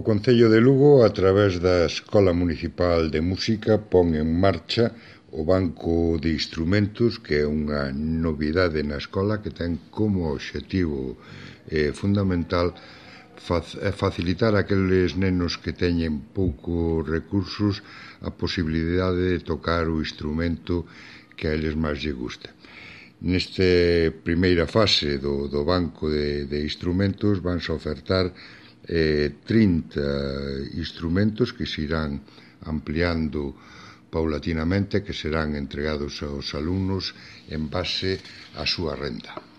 Concello de Lugo, a través da Escola Municipal de Música, pon en marcha o Banco de Instrumentos, que é unha novidade na escola que ten como obxectivo fundamental facilitar a aqueles nenos que teñen poucos recursos a posibilidade de tocar o instrumento que a eles máis lle gusta. Nesta primeira fase do Banco de Instrumentos vanse ofertar 30 instrumentos que se irán ampliando paulatinamente, que serán entregados aos alumnos en base á súa renda.